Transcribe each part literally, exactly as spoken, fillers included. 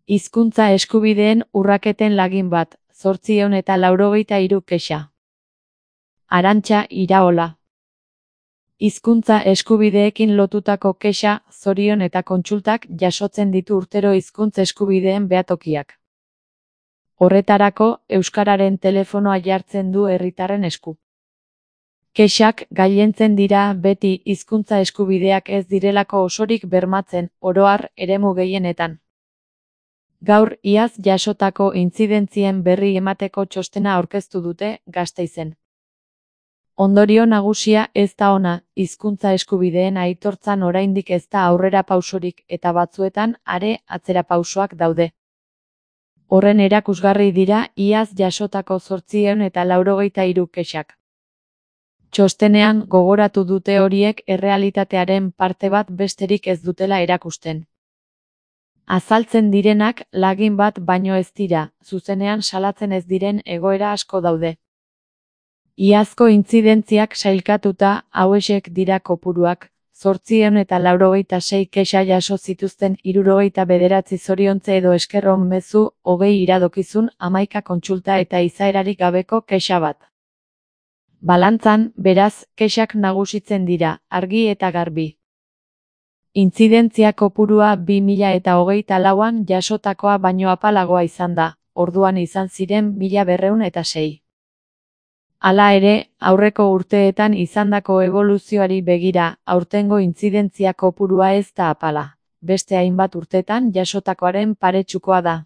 Hizkuntza eskubideen urraketen lagin bat, zortziehun eta laurogeita hiru kexa. Arantxa Iraola. Hizkuntza eskubideekin lotutako kexa, zorion eta kontsultak jasotzen ditu urtero hizkuntza eskubideen behatokiak. Horretarako, euskararen telefonoa jartzen du herritarren esku. Kexak gailentzen dira beti hizkuntza eskubideak ez direlako osorik bermatzen, oro har, eremu gehienetan. Gaur iaz jasotako intzidentzien berri emateko txostena aurkeztu dute Gasteizen. Ondorio nagusia ez da ona, hizkuntza eskubideen aitortzan oraindik ez da aurrera pausorik eta batzuetan are atzera pausoak daude. Horren erakusgarri dira iaz jasotako zortziehun eta laurogeita hiru kexak. Txostenean gogoratu dute horiek errealitatearen parte bat besterik ez dutela erakusten. Azaltzen direnak lagin bat baino ez dira, zuzenean salatzen ez diren egoera asko daude. Iazko intzidentziak sailkatuta hauexek dira kopuruak, zortziehun eta laurogeita sei kexa jaso zituzten hirurogeita bederatzi zoriontze edo esker on mezu, hogei iradokizun, hamaika kontsulta eta izaerarik gabeko kexa bat. Balantzan, beraz, kexak nagusitzen dira, argi eta garbi. Intzidentzia kopurua bi mila eta hogeita lauan jasotakoa baino apalagoa izan da, orduan izan ziren mila berrehun eta sei. Hala ere, aurreko urteetan izandako eboluzioari begira, aurtengo intzidentzia kopurua ez da apala, beste hainbat urtetan jasotakoaren paretsukoa da.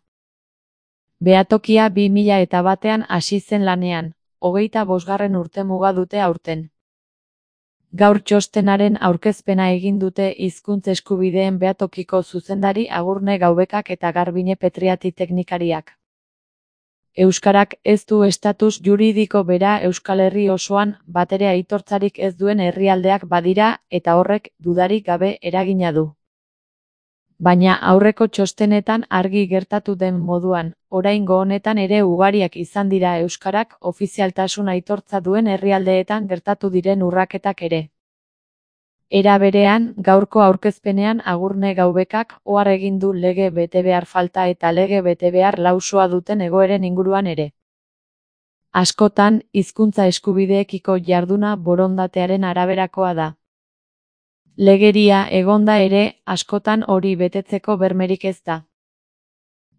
Behatokia bi mila eta batean hasi zen lanean, hogeita bosgarren urtemuga dute aurten. Gaur txostenaren aurkezpena egin dute hizkuntz eskubideen behatokiko zuzendari Agurne Gaubekak eta Garbine Petriati teknikariak. Euskarak ez du estatus juridiko bera Euskal Herri osoan batere aitortzarik ez duen herrialdeak badira eta horrek dudarik gabe eragina du. Baina aurreko txostenetan argi gertatu den moduan, oraingo honetan ere ugariak izan dira euskarak ofizialtasun aitortza duen herrialdeetan gertatu diren urraketak ere. Era berean, gaurko aurkezpenean Agurne Gaubekak ohar egin du lege betebehar falta eta lege betebehar lausoa duten egoeren inguruan ere. Askotan, hizkuntza eskubideekiko jarduna borondatearen araberakoa da. Legeria egonda ere, askotan hori betetzeko bermerik ez da.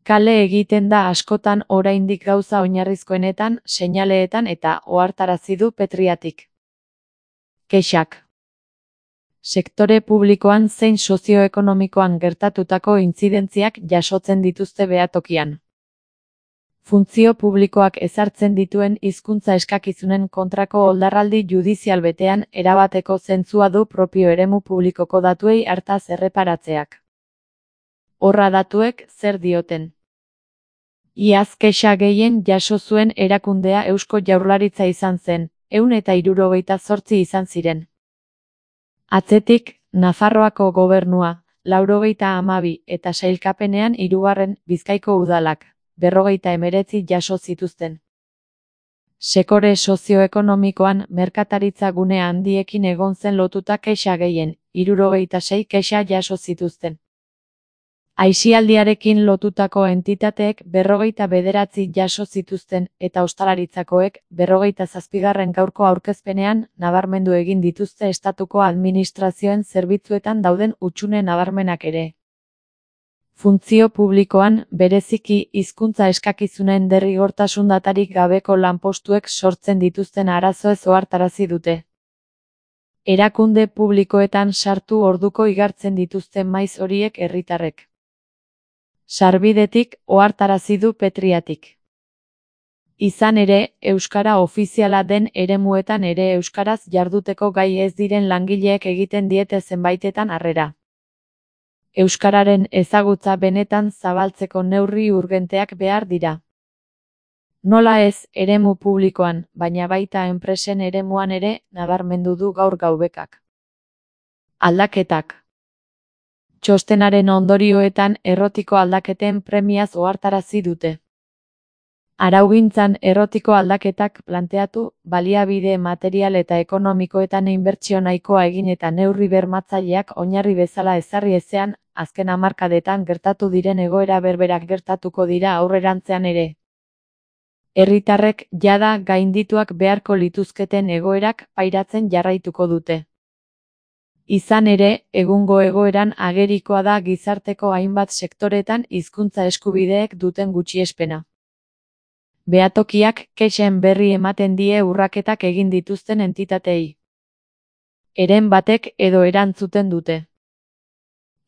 Kale egiten da askotan oraindik gauza oinarrizkoenetan, seinaleetan eta ohartarazi du Petriatik. Kexak. Sektore publikoan zein sozioekonomikoan gertatutako intzidentziak jasotzen dituzte behatokian. Funtzio publikoak ezartzen dituen hizkuntza eskakizunen kontrako oldarraldi judizial betean erabateko zentzua du propio eremu publikoko datuei hartaz erreparatzeak. Horra datuek zer dioten. Iaz kexa gehien jaso zuen erakundea Eusko Jaurlaritza izan zen, ehun eta hirurogeita zortzi izan ziren. Atzetik, Nafarroako gobernua, laurogeita hamabi eta sailkapenean hirugarren Bizkaiko udalak, berrogeita hemeretzi jaso zituzten. Sekore sozioekonomikoan merkataritza gune handiekin egon zen lotuta kexa gehien, hirurogeita sei kexa jaso zituzten. Aisialdiarekin lotutako entitateek berrogeita bederatzi jaso zituzten eta ostalaritzakoek berrogeita zazpigarren gaurko aurkezpenean nabarmendu egin dituzte estatuko administrazioen zerbitzuetan dauden hutsune nabarmenak ere. Funtzio publikoan, bereziki hizkuntza eskakizunen derrigortasun datarik gabeko lanpostuek sortzen dituzten arazoez ohartarazi dute. Erakunde publikoetan sartu orduko igartzen dituzten maiz horiek herritarrek. Sarbidetik ohartarazi du Petriatik. Izan ere, euskara ofiziala den eremuetan ere euskaraz jarduteko gai ez diren langileek egiten diete zenbaitetan harrera. Euskararen ezagutza benetan zabaltzeko neurri urgenteak behar dira. Nola ez, eremu publikoan, baina baita enpresen eremuan ere, nabarmendu du gaur Gaubekak. Aldaketak. Txostenaren ondorioetan errotiko aldaketen premiaz ohartarazi dute. Araugintzan errotiko aldaketak planteatu, baliabide material eta ekonomikoetan inbertsio nahikoa egin eta neurri bermatzaileak oinarri bezala ezarri ezean, azken hamarkadetan gertatu diren egoera berberak gertatuko dira aurrerantzean ere. Herritarrek jada gaindituak beharko lituzketen egoerak pairatzen jarraituko dute. Izan ere, egungo egoeran agerikoa da gizarteko hainbat sektoretan hizkuntza eskubideek duten gutxiespena. Behatokiak kexen berri ematen die urraketak egin dituzten entitatei. Heren batek edo erantzuten dute.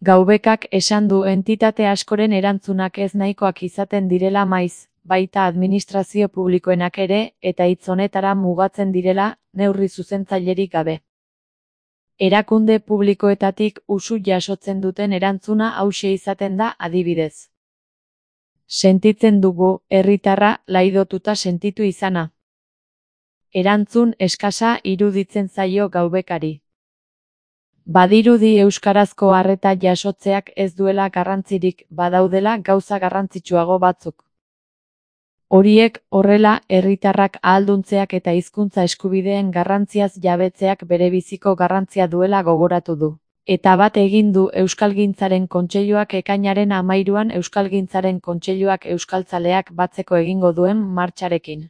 Gaubekak esan du entitate askoren erantzunak ez nahikoak izaten direla maiz, baita administrazio publikoenak ere, eta hitz honetara mugatzen direla, neurri zuzentzailerik gabe. Erakunde publikoetatik usu jasotzen duten erantzuna hauxe izaten da adibidez. Sentitzen dugu, herritarra laidotuta sentitu izana. Erantzun eskasa iruditzen zaio Gaubekari. Badirudi euskarazko arreta jasotzeak ez duela garrantzirik, badaudela gauza garrantzitsuago batzuk. Horiek horrela herritarrak ahalduntzeak eta hizkuntza eskubideen garrantziaz jabetzeak berebiziko garrantzia duela gogoratu du. Eta bat egin du Euskalgintzaren Kontseiluak ekainaren hamairuan Euskalgintzaren Kontseiluak euskaltzaleak batzeko egingo duen martxarekin.